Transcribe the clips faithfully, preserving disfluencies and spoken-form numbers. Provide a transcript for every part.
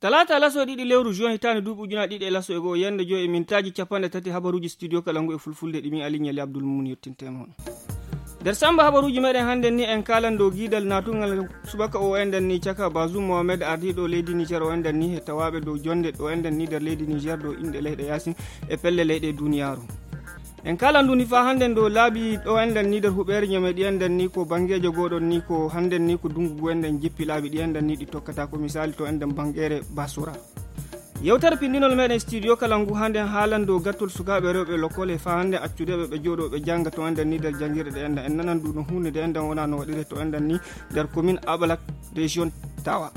talata laso ɗiɗi lewru juin hitande duuɓi ujunere ɗiɗi e laso e go'o yande joyi e mintaji capanɗe tati habaruji studio kalangu e fulfulde ɗimi alignali abdoul mouni yettintema on nder samba habaruji meɗen hande ni en kalan dow guidal natugal subaka o enden ni caka Bazoum Mohamed ardiɗo leydi Niger o enden ni e tawaɓe dow jonde ɗo enden ni nder leydi Niger dow inɗe leyɗe yasin e pelle leyɗe duniyaru en kala nduni fa handen do laabi ɗo enden ni nder huɓere ñame ɗi enden ni ko bangeje goɗon ni ko handen ni ko dungu enden jippi laabi ɗi enden ni ɗi tokkata ko misali to enden bangere basura yewtere pindinol meɗen studio kalangu handen haalan dow gattol sukaɓe rewɓe lokole fa hande accudeɓe ɓe jooɗoɓe jangga to enden ni nder jangirɗe ɗe enden en nanan ɗum hunde de enden wona no waɗire to enden ni nder commune Abalak région Tawa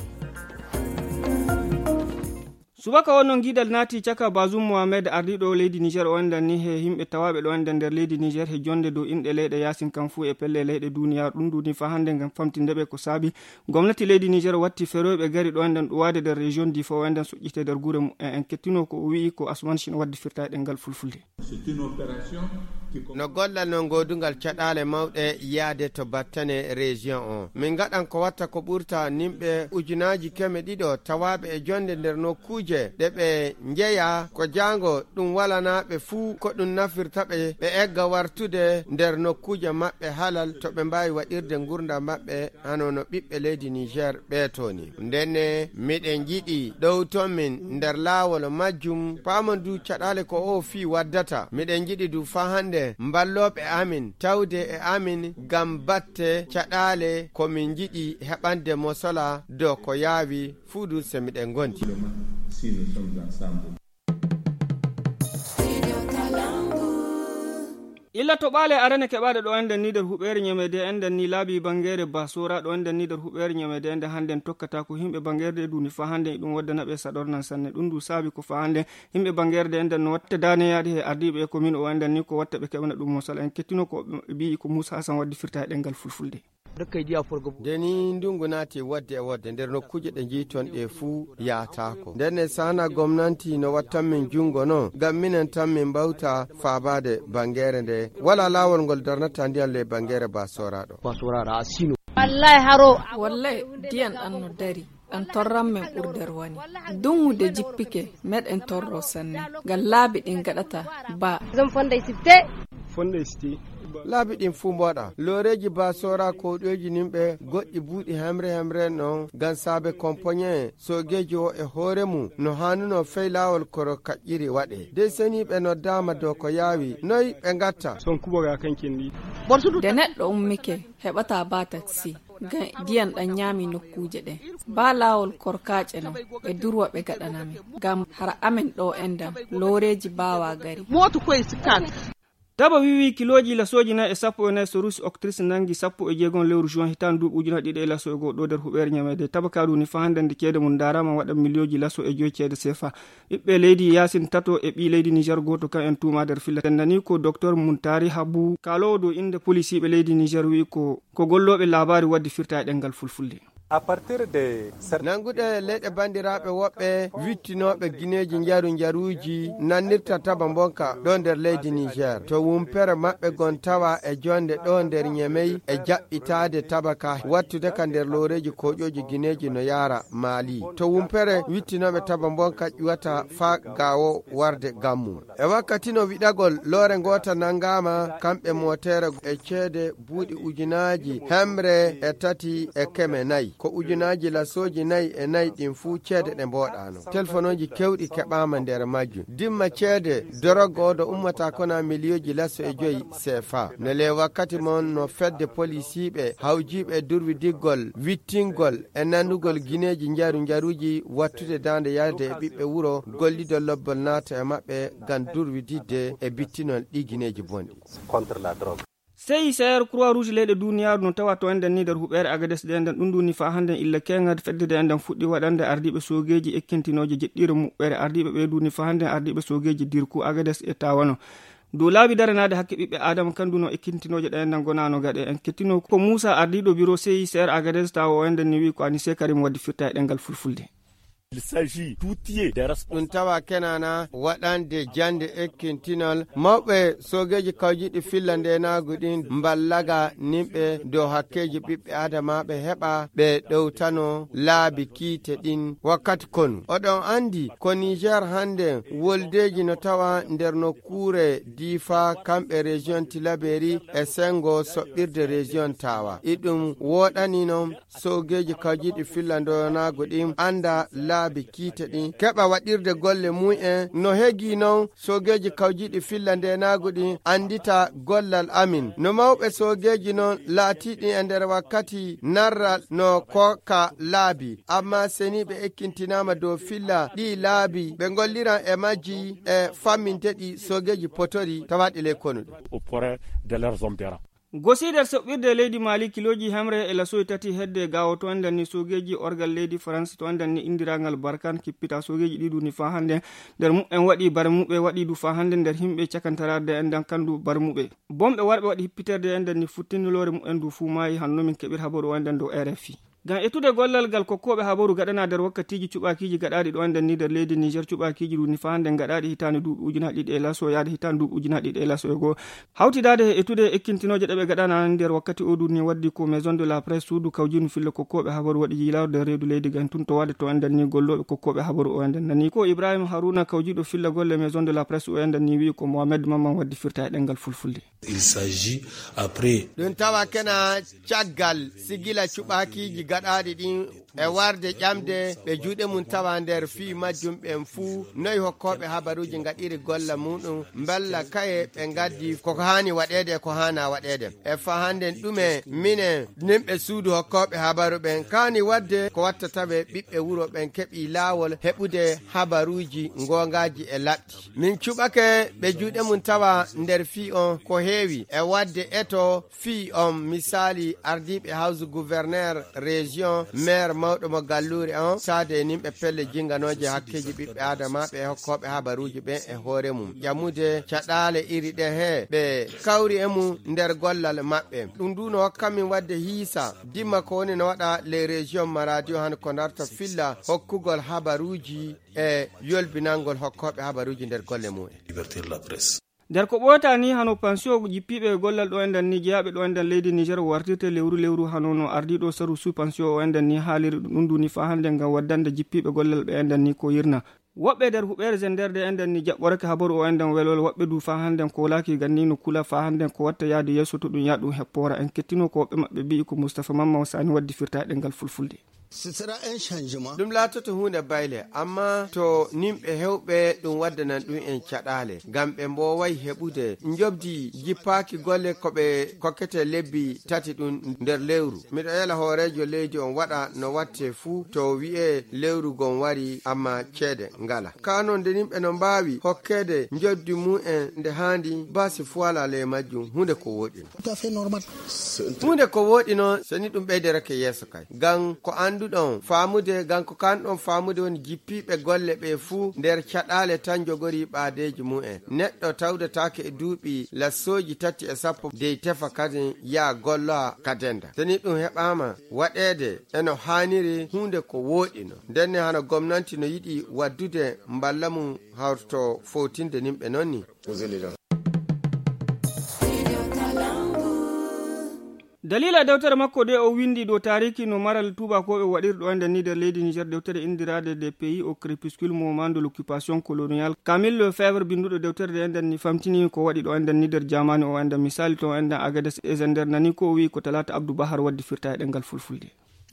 subaka wonno guidal naati caka Bazoum Mohamed ardiɗo leydi Niger o enden ni he himɓe tawaɓe ɗo enden nder leydi Niger he jonde dow inɗe leyɗe yasin kam fu e pelle leyɗe duniya ɗum duni fa hande gam famtindeɓe ko saabi gomnati leydi Niger watti feroyɓe gari ɗo enden ɗuwade nder région di fa o enden suƴƴite nder guure mum en kettino ko o wii ko Asman Chine waddi firta e ɗengal fulfulde no gollal non godungal caɗale mawɗe yaade to battane région o min gaɗan ko watta ko ɓurta nimɓe ujunaji keme ɗiɗo tawaɓe e jonde nder nokkuje ɗe ɓe jeeya ko jango ɗum walanaɓe fuu ko ɗum nafirta ɓe ɓe egga wartude nder nokkuje maɓɓe halal to ɓe mbawi waɗirde gurda maɓɓe hanono ɓiɓɓe leydi Niger ɓeetoni ndenne miɗen jiɗi ɗow ton min nder laawol majjum pamandu caɗale ko o fi waddata miɗen jiɗi du fa hande mballoɓe amin tawde e amin gam batte caɗale komin jiɗi heɓande mosola dow ko yaawi fuudu se miɗen gondi illa to ɓaale arane keɓaɗe ɗo enden ni nder huɓere ñamede enden ni laabi bangere basora ɗo enden ni nder huɓere ñamede enden handen tokkata ko yimɓe bangerde duni fa handen ɗum waddanaɓe saɗornan sanne ɗum du saabi ko fa handen yimɓe bangerde enden no watta daneyaɗe he ardiɓe e commune o enden ni ko watta ɓe keɓana ɗum mosala en kettino ko ɓi ko Moussa Hassan waddi firta e ɗengal fulfulde deni ndungu naati wadde e wadde nder nokkuje ɗe jiiton ɗe fuu yaatako ndenne sana gomnanti no wattan min jungo no gam minen tan min mbawta faabade bangere nde wala laawol ngol darnata ndiyan le bangere basoraɗo basoraɗo a sino wallahi haro wallahi diyan ɗan no dari ɗan torran men ɓurder wani dungude jippike meɗen torro sanne ngal laabi ɗin gaɗata ba zan fonde sifte fonde sifte laabi ɗin fuu mboɗa loreji basora koɗoji nimɓe goɗɗi buuɗi hemre hemre non gam saabe compoñe sogeji o e hoore mum no hannuno fey lawol koro kaƴƴiri waɗe de seniɓe no dama dow ko yaawi noyi ɓe gatta son kuɓoga kankendi de neɗɗo ummike heɓata ba taxi gan diyan ɗan ñaami nokkuje ɗen ba lawol korkaƴe no ɓe durwa ɓe gaɗanami gam hara amen ɗo endan loreji bawa gari moto koye sikkat taba wiwi kiloji lasoji nayi e sappo e nayi so rusi octrice nangi sappo e jeegon lewru juin hitan duuɓi ujuna ɗiɗi e laso e goho ɗo nder huɓere ñamede taba kaɗu ni fa hande nde ceede mum darama waɗa millioji laso e joyi ceede sefa ɓiɓɓe leydi yasin tato e ɓi leydi Niger goto kan en tuma nder filla tendani ko docteur Muntari Habou kalowo dow inde policiɓe leydi Niger wi ko ko golloɓe labari waddi firta e ɗengal fulfulde a partir de nanguɗe leyɗe bandiraɓe woɓɓe wittinoɓe guineji jaru jaruji nannirta taba bonka ɗo nder leydi Niger to wumpere maɓɓe gon tawa e jonde ɗo nder ñemey e jaɓɓitade tabaka wattude ka nder loreji koƴoji guineji no yara Mali to wumpere wittinoɓe taba bonka ƴuwata fa gawo warde gammu e wakkati no wiɗagol lore gota nangama kamɓe motere e ceede buuɗi ujunaji hemre e tati e keme nayyi ko ujunaji lasoji nayi e nayi ɗin fuu ceede ɗe mboɗano téléphone kewɗi keɓama nder majjum dimma ceede dorogo oɗo ummata kona milliyoji laso e joyi C F A ne le wakkati mon no fedde policiɓe hawjiɓe durwi diggol wittingol e nandugol guineji jaru jaruji wattude dande yalde e ɓiɓɓe wuuro gollido lobbol naata e maɓɓe gam durwididde e bittinol ɗi guineji bonɗi contre la drogue sey sayar croix rouge leyɗe duniyaru no tawa to enden ni nder huɓere agades ɗe enden ɗum duni fa handen illa kenga feddede enden fuɗɗi waɗande ardiɓe sogeji ekkintinoje jeɗɗire muɓɓere ardiɓe ɓe duni fa handen ardiɓe sogeji dirku agades e tawano dow laabi daranade hakke ɓiɓɓe adama kanduno ekkintinoje ɗe enden gonano gaɗe en kettino ko Moussa ardiɗo bureau sey sayar agades tawa o enden ni wi ko Anissé Karim waddi firta e ɗengal fulfulde ɗum tawa kenana waɗande jande ekkintinol mawɓe sogeji kawjiɗi fillande naguɗin mballaga nimɓe dow hakkeji ɓiɓɓe adamaɓe heɓa ɓe ɗowtano laabi kiite ɗin wakkati konu. Oɗon andi ko Niger hande woldeji no tawa nder nokkure difa kamɓe région Tilaberi e sengo soɓɓirde région tawa iɗum woɗanino sogeji kawjiɗi fillando naguɗin anda laabi kiite ɗin keɓa waɗirde golle mu'en no hegi non sogeji kawjiɗi fillande naguɗin andita gollal amin no mawɓe sogeji non laatiɗi e nder wakkati narral no koka laabi amma seni ɓe ekkintinama dow filla ɗi laabi ɓe golliran e majji e famminteɗi sogeji potori tawaɗi ley konuɗo gosider soɓɓirde leydi mali kiloji hemre e lasoyi tati hedde gawo to andan ni sogeji orgal leydi france to andan ni indirangal barkan kippita sogeji ɗiɗu ni fa hande nder muɓen waɗi bar muɓe waɗi du fa hande nder himɓe cakantarade endan kandu bar muɓe bomɓe warɓe waɗi hippiterde endan ni futtinilore mu'en du fu mayi hanno min keɓir habaru andan dow R F I gam etude gollal gal kokkoɓe habaru gaɗana nder wakkatiji cuɓakiji gaɗaɗi ɗo andan ni nder leydi Niger cuɓakiji ɗu ni fa hande gaɗaɗi hitande duuɓi ujunnaje ɗiɗi e laso yaade hitande duuɓi ujunnaje ɗiɗi e laso e goo hawtidade e etude ekkintinoje ɗeɓe gaɗana nder wakkati o ɗum ni waddi ko maison de la presse suudu kawjinu fille kokkoɓe habaru waɗi yilawde reedu leydi gan tun to wade to andan ni golloɓe kokkoɓe habaru o andan nani ko Ibrahima Haruna kawjiɗo filla golle maison de la presse o andan ni wi ko Mohamed Mamman waddi firta e ɗengal fulfulde. Il s'agit après ɗum tawa kena caggal sigila cuɓakiji gaɗaɗi ɗin e warde ƴamde ɓe juuɗe mum tawa nder fi majjum ɓen fuu noyi hokkoɓe habaruji gaɗiri golla muɗum balla kaye ɓe gaddi koko hani waɗede ko hana waɗede e fa hande ɗume minen nimɓe suudu hokkoɓe habaru ɓen kani wadde ko wattataɓe ɓiɓɓe wuro ɓen keeɓi laawol heɓude habaruji gongaji e laɓɗi min cuɓake ɓe juuɗe mum tawa nder fi on ko heewi e wadde eto fi on misali ardiɓe hawsu gouverneur région maire mawɗo mo galluri on sade e nimɓe pelle jinganoje hakkeji ɓiɓɓe adamaɓe e hokkoɓe habaruji ɓen e hoore mum ƴammude caɗale iri ɗe he ɓe kawri e mum nder gollal maɓɓe ɗum ndu no hokkamin wadde hiisa dimma ko woni no waɗa les région ma radio han ko darta filla hokkugol habaruji e yolbinangol hokkoɓe habaruji nder golle mumen. liberté de la presse. nder ko ɓoyata ni hano pension jippiɓe gollal ɗo endan ni jeyaɓe ɗo endan leydi Niger wartirte lewru lewru hano no ardiɗo saru sous pension o endan ni haaliri ɗum ɗum ni fa hande ngam waddande jippiɓe gollal ɓe endan ni ko yirna woɓɓe nder huɓere zenderde endan ni jaɓɓorake habaru o endan welwel woɓɓe du fa hande ko laki ganni no kula fa hande ko watta yaade yesso to ɗum yaɗum heppora en kettino ko woɓɓe maɓɓe mbi ko Moustapha Mamman Sani waddi firta ɗengal fulfulde. ɗum laatoto hunde bayle amma to nimɓe hewɓe ɗum waddanan ɗum en caɗale ngam ɓe mboway heɓude jobdi jippaki golle koɓe kokkete lebbi tati ɗum nder lewru miɗo yela hoorejo leydi on waɗa no watte fuu to wi'e lewru gon wari amma ceede ngala kanon nde nimɓe no mbawi hokkede joddi mu'en nde handi basi fu ala le majjum hunde ko woɗino hunde ko woɗino soni ɗum ɓeyderake yeeso kay ngam ko andu ɗon famude ganko kanɗon famude woni jippiɓe golle ɓe fuu nder caɗale tan jogori ɓaadeji mu'en neɗɗo tawdetake e duuɓi lassoji tati e sappo dey tefa kadi ya golloa kadenda teni ɗum heɓama waɗede eno haniri hunde ko woɗino ndenne hano gomnanti no yiɗi waddude mballa mum hawto fowtinde nimɓe nonni. dalila dewtere makko de o windi ɗo tariki no maral tubakoɓe waɗirɗo ande ni nder leydi Niger dewtere indirade des pays au crépuscule moment de l'occupation coloniale Camille Lefebvre binduɗo dewtere de enden ni famtini ko waɗi ɗo enden ni nder jamani o enden misali to enden Agadez e Zender nani ko wi ko Talata Abdou Bahar waddi firta e ɗengal fulfulde.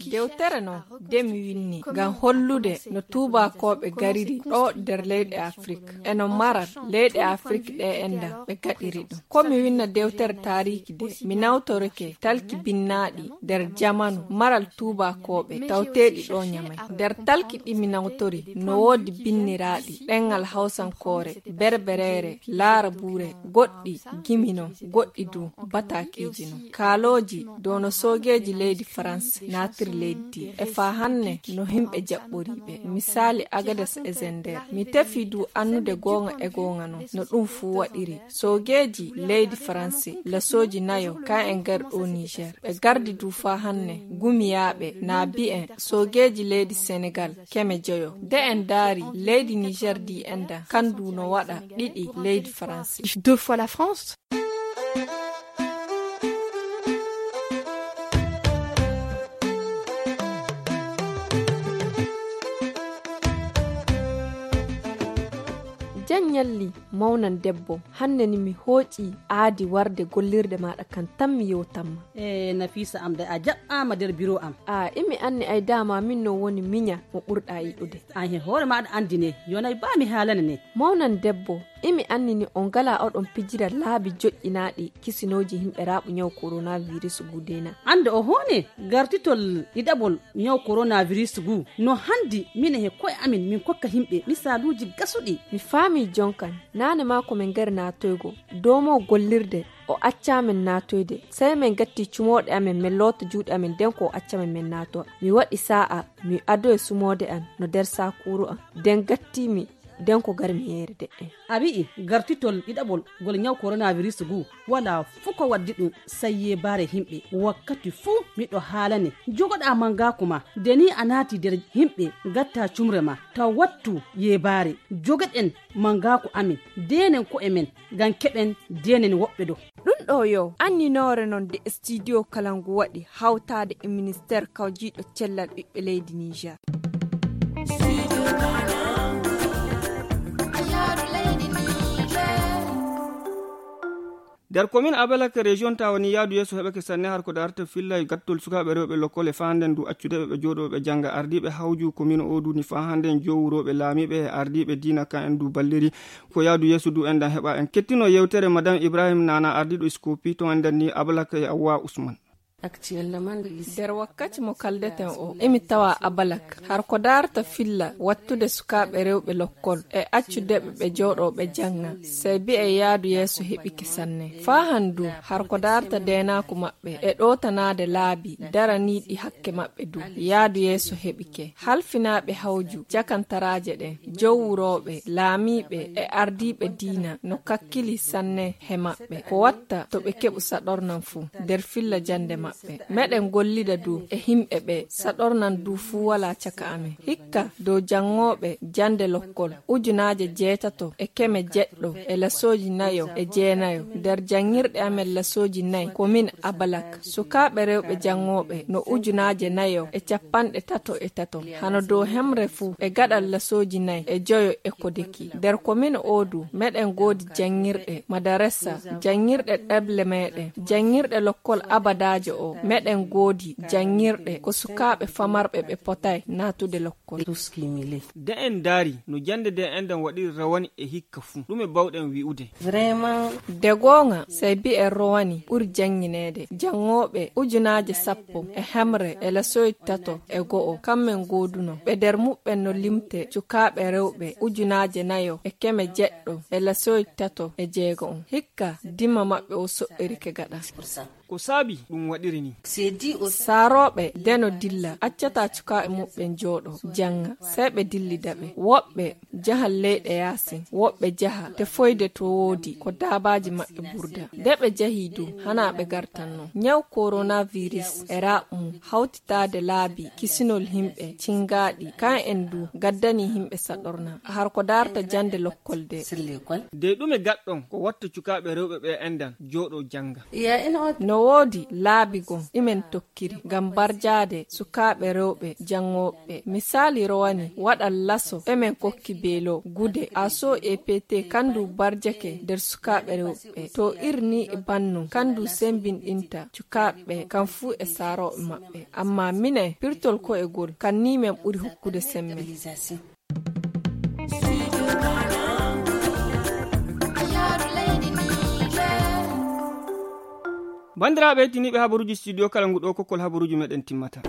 dewtere no demi winni ngam hollude no tubakoɓe gariri ɗo nder leyɗe afrique eno marat leyɗe afrique ɗe enda ɓe gaɗiri ɗum komi winna dewtere tariki de mi nawtorake talki binnaɗi nder jamanu maral tubakoɓe tawteɗi ɗo ñamay nder talki ɗi mi nawtori no wodi binniraɗi ɗengal hawsankore berberere laara buure goɗɗi gimino goɗɗi du batakiji no kaaloji dow no sogeji leydi france natiri nder leddi e fa hanne no himɓe jaɓɓoriɓe misali Agadez e Zender. Mi tefi du annude gonga e gonga no no ɗum fu waɗiri. Sogeji leydi France lasoji nayo ka en garɗo Niger ɓe gardi du fa hanne gumiyaɓe na bi'en sogeji leydi Senegal keme joyo de en daari leydi Niger di enda kandu no waɗa ɗiɗi leydi France. Deux fois la France. Janyalli mawnan debbo hanne ni mi hooƴi aadi warde gollirde maɗa kan tan mi yewtanma. e Nafisa am da a jaɓɓama nder bureau am. a imi anni ay dama min no woni minya mo ɓurɗa yiɗude. an he hoore maɗa andine yonay ba mi haalana ne. Mawnan debbo imi annini on gala oɗon pijira laabi joƴƴinaaɗi kisinoji himɓe raaɓu nyaw coronavirus gudena. Ande o hone gartitol ɗiɗaɓol nyaw coronavirus gu no handi mine he koye amin min kokka himɓe misaluji gasuɗi. Mi faami jonkan nane ma ko min gari natoygo domo gollirde o accamen natoyde sai min gatti cumoɗe amen min loota juuɗe amen den ko o accamen min nato mi waɗi sa'a mi ado e sumode an no der sakuru an den gattimi den ko gar mi yere de abi gartitol ɗiɗaɓol gol nyaw coronavirus gu wala fuko waddi ɗum sayye bare himɓe wakkati fu miɗo haalane jogoɗa manga kuma deni a naati nder himɓe gatta cumre ma taw wattu yebare jogoɗen mangaku amin denen ko emen ngam keɓen denen woɓɓe ɗo ɗum ɗo yo anninore non de studio kalangu waɗi hawtade e ministére kawjiɗo cellal ɓiɓɓe leydi Niger. nder commune Abalaka région ta woni yaadu yeeso heɓake sanne har ko darta filla gattol sukaɓe rewɓe lokkole fa handen du accudeɓe ɓe joɗoɓe janga ardiɓe hawju commune o du ni fa handen jowuroɓe laamiɓe e ardiɓe dina kan en du balliri ko yaadu yeeso du endan heɓa en kettino yewtere madame Ibrahim Nana ardiɗo Scopi to enden ni Abalaka e Awa Ousmane. nder wakkati mo kaldeten o emi tawa Abalak har ko darta filla wattude sukaɓe rewɓe lokkol e accudeɓe ɓe jooɗoɓe janga sey bi e yaadu yeeso heɓike sanne fa handu har ko darta denaku maɓɓe e ɗotanade laabi daraniɗi hakke maɓɓe du yaadu yeeso heɓike halfinaɓe hawju jakantaraje ɗen jowuroɓe laamiɓe e ardiɓe diina no kakkili sanne he maɓɓe ko watta to ɓe keɓu saɗornan fu nder filla jande maɓɓe meɗen gollida du e himɓe ɓe saɗornan du fu wala caka amen hikka dow jangoɓe jande lokkol ujunaje jeetato e keme jeɗɗo e lasoji nayo e jeenayo nder jangirɗe amen lasoji nayi komin Abalak sukaɓe rewɓe jangoɓe no ujunaje nayo e capanɗe tato e tato hano dow hemre fu e gaɗal lasoji nayi e joyo e kodeki nder komin odu meɗen godi jangirɗe madaressa jangirɗe ɗeble meɗen jangirɗe lokkol abadaje o meɗen goodi jangirɗe ko sukaɓe famarɓe ɓe potay natude lokkol. de en daari no jande de endan waɗiri rawani e hikka fu ɗume bawɗen wi'ude vraiment de gonga sey bi en rowani ɓuri janginede jangoɓe ujunaje sappo e hemre e lasoyi tato e go'o kammen gooduno ɓe nder muɓɓen no limte sukaɓe rewɓe ujunaje nayo e keme jeɗɗo e lasoyi tato e jeego on hikka dimma maɓɓe o soɓɓirike gaɗa ko saabi ɗum waɗiri ni saaroɓe deno dilla accata cukaɓe muɓɓen jooɗo janga sey ɓe dillidaɓe woɓɓe jahal leyɗe yasin woɓɓe jaha te foyde to woodi ko dabaji maɓɓe burda nde ɓe jahi du hana ɓe gartanno nyaw coronavirus e raɓmu hawtitade laabi kisinol himɓe cingaɗi kan en du gaddani himɓe saɗorna har ko darta jande lokkol de de ɗume gaɗɗon ko watta cukaɓe rewɓe ɓe endan jooɗo janga no woodi laabi gon imen tokkiri ngam barjade sukaɓe rewɓe jangoɓe misali rowani waɗal laso emen kokki beelo gude aso e pt kandu barjake nder sukaɓe rewɓe to irni e bannu kandu sembinɗinta cukaɓe kan fuu e saaroɓe maɓɓe amma mine pirtol ko e gol kan ni men ɓuri hokkude sembe. bandiraɓe tiniɓe habaruji studio kala ngu ɗo kokkol habaruji meɗen timmata.